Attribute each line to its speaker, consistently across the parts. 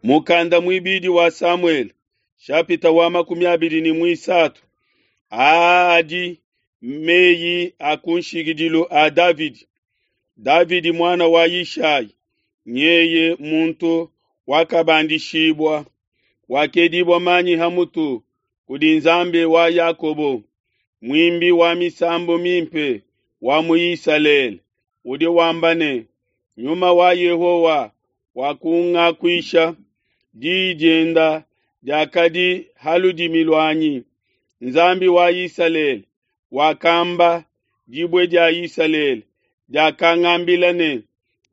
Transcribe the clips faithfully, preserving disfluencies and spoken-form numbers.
Speaker 1: Mukanda muibidi wa Samuele, shapita wa makumi abidi ne muisatu. Aa adi meyi a kunshikidilu a Davidi. Davidi muana wa Yishai, nyeye muntu wakabandishibua, wakedibua manyi ha mutu kudi Nzambi wa Yakobo, muimbi wa misambu mimpe wa mu Isalele, udi wamba ne, Nyuma wa Yehowa wakungakuisha, diyi dienda diakadi ha ludimi luanyi. Nzambi wa Isalele wakamba, dibue dia Isalele diakangambila ne,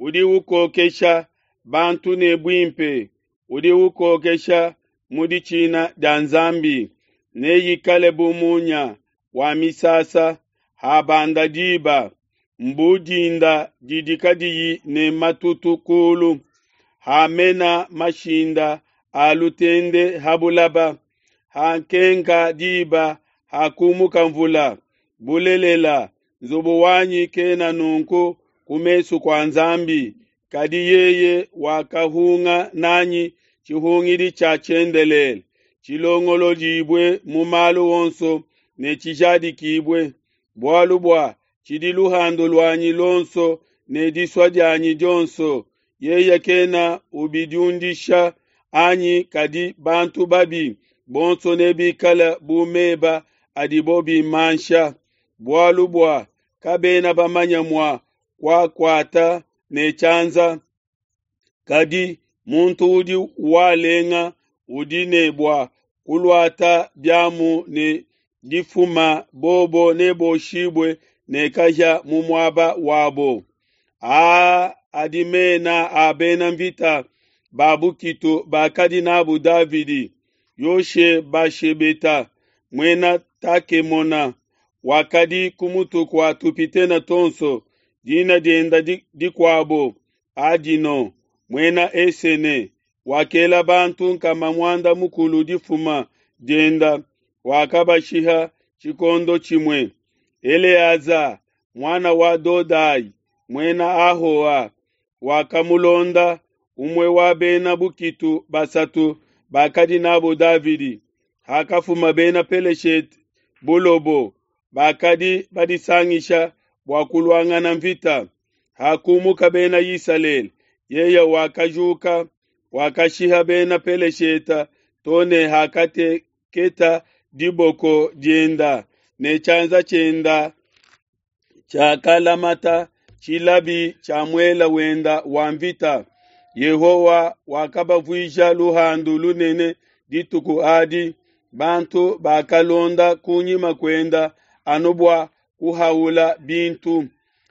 Speaker 1: udi ukokesha bantu ne buimpe, udi ukokesha mu ditshina dia Nzambi, neikale bu munya wa misasa habanda diba, mbu dinda didi kadiyi ne matutu kulu, hamena mashinda a lutende ha bulaba, hakenka diba hakumuka mvula. Bulelela, nzubu wanyi kena nunku ku mesu kua Nzambi, kadi yeye wakahunga nanyi tshihungidi tshia tshiendelele, tshilongolodibue mu malu onso ne tshijadikibue, bualu bua tshidi luhandu luanyi luonso ne disua dianyi dionso. Yeye kena ubidiundisha anyi, kadi bantu babi bonso nebikale bu meba adibo bimansha, bualu bua kabena bamanya mua kuakuata ne tshianza. Kadi muntu udi walenga udi ne bua kuluata biamu ne difuma, bobo neboshibue ne kahia mu muaba wabo. Aa adi mena a bena mvita ba bukitu bakadi n'abu Davidi: Yoshebashebeta, muena Takemona, wakadi ku mutu kua tupitene tuonso, dina dienda dikuabo Adino, muena Esene, wakela bantu nkama muanda mukulu difuma dienda, wakabashiha tshikondo tshimue. Eleaza, muana wa Dodai, muena Ahoa, wakamulonda, umue wa bena bukitu basatu bakadi n'abo Davidi. Hakafuma bena Peleshete bulobo, bakadi badisangisha bua kuluangana mvita. Hakumuka bena Isalele, yeye wakajuka, wakashiha bena Peleshete to ne hakateketa diboko dienda ne tshianza tshienda tshiakalamata tshilabi tshia muela wenda wa mvita. Yehowa wakabavuisha luhandu lunene dituku adi. Bantu bakalonda kunyima kuenda anu bua kuhaula bintu.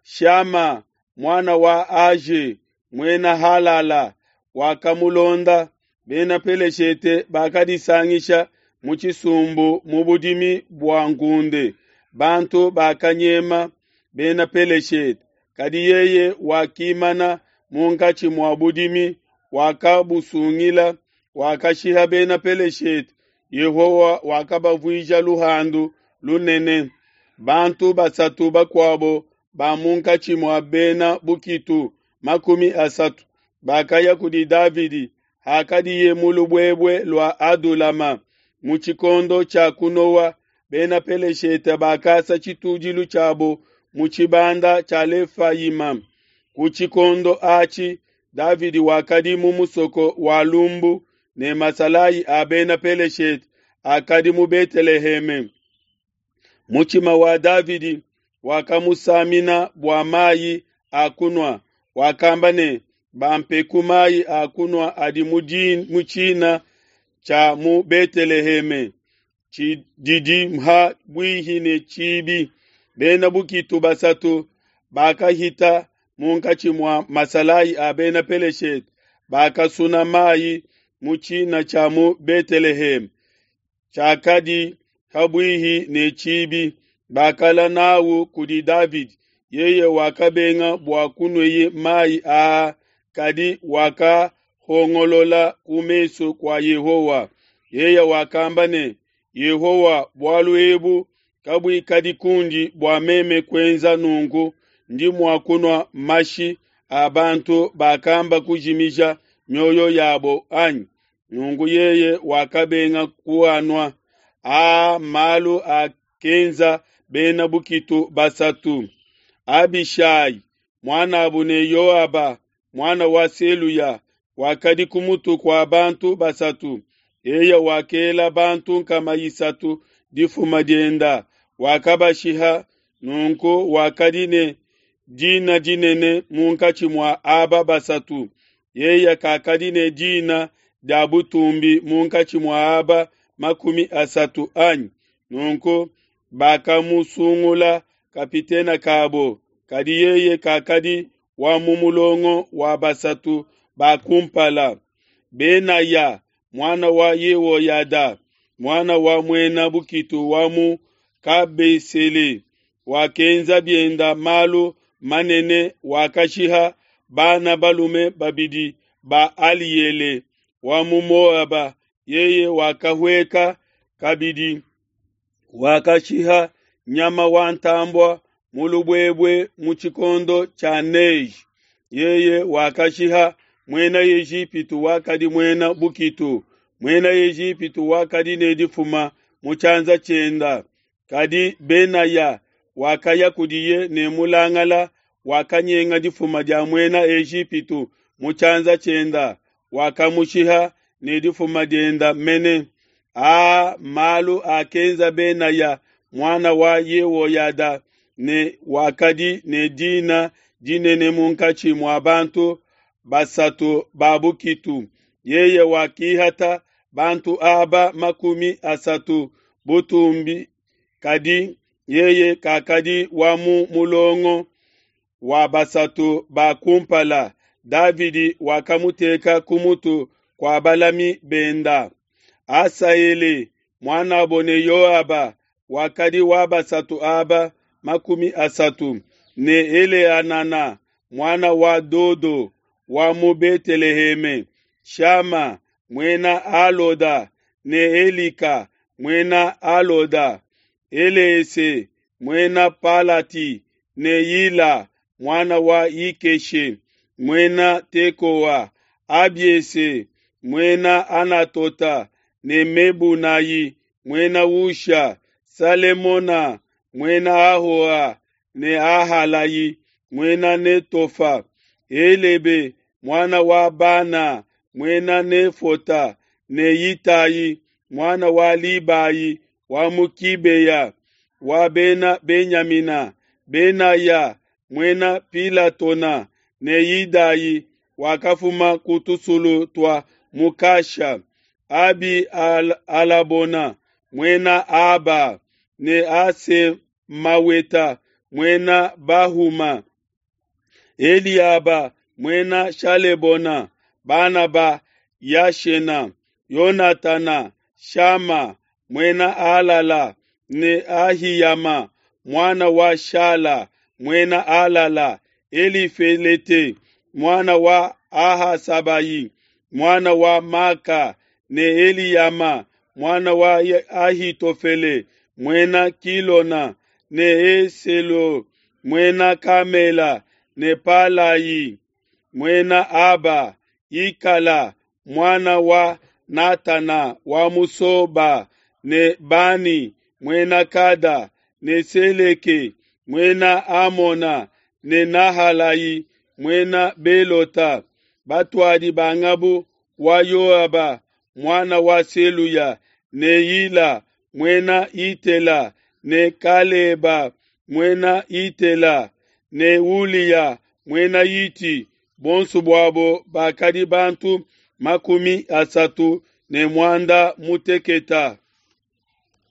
Speaker 1: Shama, muana wa Age, muena Halala, wakamulonda. Bena Peleshete bakadisangisha mu tshisumbu mu budimi bua ngunde. Bantu bakanyema bena Peleshete, kadi yeye wakimana munkatshi mua budimi, wakabusungila, wakashiha bena Peleshete. Yehowa wakabavuisha luhandu lunene. Bantu basatu bakuabo ba munkatshi mua bena bukitu makumi asatu bakaya kudi Davidi hakadiye mu lubuebue lua Adulama mu tshikondo tshia kunowa. Bena Peleshete bakasa tshitudilu tshiabo mu tshibanda tshia Lefayima. Ku tshikondo atshi Davidi wakadi mu musoko wa lumbu, ne masalayi a bena Peleshete akadi mu Beteleheme. Mutshima wa Davidi wakamusamina bua mayi a kunua, wakamba ne, bampeku mayi a kunua adi mu tshina tshia mu Beteleheme tshididi ha buihi ne tshibi. Bena bukitu basatu bakahita munkatshi mua masalayi a bena Peleshete, bakasuna mayi mu tshina tshia mu Beteleheme tshiakadi habuihi ne tshibi, bakala nawu kudi Davidi. Yeye wakabenga bua kunweye mayi aa, kadi wakahongolola ku mesu kua Yehowa. Yeye wakamba ne, Yehowa, bualu ebu kabuikadi kundi bua meme kuenza nunku, ndi mua kunua mashi a bantu bakamba kujimija mioyo yabo, anyi? Nunku yeye wakabenga kuanua. Aa mmalu akenza bena bukitu basatu. Abishai, muanabu ne Yoaba, muana wa Seluya, wakadi ku mutu kua bantu basatu. Yeye wakela bantu nkama isatu difuma dienda, wakabashiha. Nunku wakadi ne dina dinene munkatshi mua aba basatu. Yeye kakadi ne dina dia butumbi munkatshi mua aba makumi asatu, anyi? Nunku bakamusungula kapitene kabo, kadi yeye kakadi wa mu mulongo wa basatu ba kumpala. Benaya, muana wa Yehoyada, muana wa muena bukitu wa mu Kabesele, wakenza bienda malu manene, wakashiha bana balume babidi ba Aliele wa mu Moaba. Yeye wakahueka kabidi, wakashiha nyama wa ntambua mu lubuebue mu tshikondo tshia neige. Yeye wakashiha muena Ejipitu wakadi muena bukitu, muena Ejipitu wakadi ne difuma mu tshianza tshienda. Kadi Benaya wakaya kudiye ne mulangala, wakanyenga difuma dia muena Ejipitu mu tshianza tshienda, wakamushiha ne difuma dienda mene. Aa mmalu akenza Benaya muana wa Yehoyada ne wakadi ne dina dinene munkatshi mua bantu basatu ba bukitu. Yeye wakihata bantu aba makumi asatu butumbi, kadi yeye kakadi wa mu mulongo wa basatu ba kumpala. Davidi wakamuteka ku mutu kua balami benda. Asaele muanabo ne Yoaba wakadi wa basatu aba makumi asatu, ne Eleanana muana wa Dodo wa mu Beteleheme, Shama muena Aloda ne Elika muena Aloda, Elese muena Palati ne Yila muana wa Ikeshe muena Tekoa, Abiese muena Anatota ne Mebunayi muena Husha, Salemona muena Ahoa ne Ahalayi muena Netofa, Helebe muana wa Bana muena Nefota ne Itayi muana wa Libayi wa mu Kibeya wa bena Benyamina, Benaya muena Pilatona ne Idayi wakafuma ku tusulu tua Mukasha, Abi Al Alabona muena Aba ne Asemaweta muena Bahuma, Eliaba muena Shalebona, bana ba Yashena, Yonatana, Shama muena Alala ne Ahiyama muana wa Shala muena Alala, Elifelete muana wa Ahasabayi muana wa Maka ne Eliyama muana wa Ahitofele muena Kilona ne Eselo muena Kamela ne Palayi muena Aba, Ikala muana wa Natana wa Musoba ne Bani muena Kada ne Seleke muena Amona ne Nahalayi muena Belota, batuadi ba ngabu wa Yoaba muana wa Seluya ne Yila muena Itela ne Kaleba muena Itela ne Uliya muena Iti, bonso buabo bakadi bantu makumi asatu ne muanda muteketa.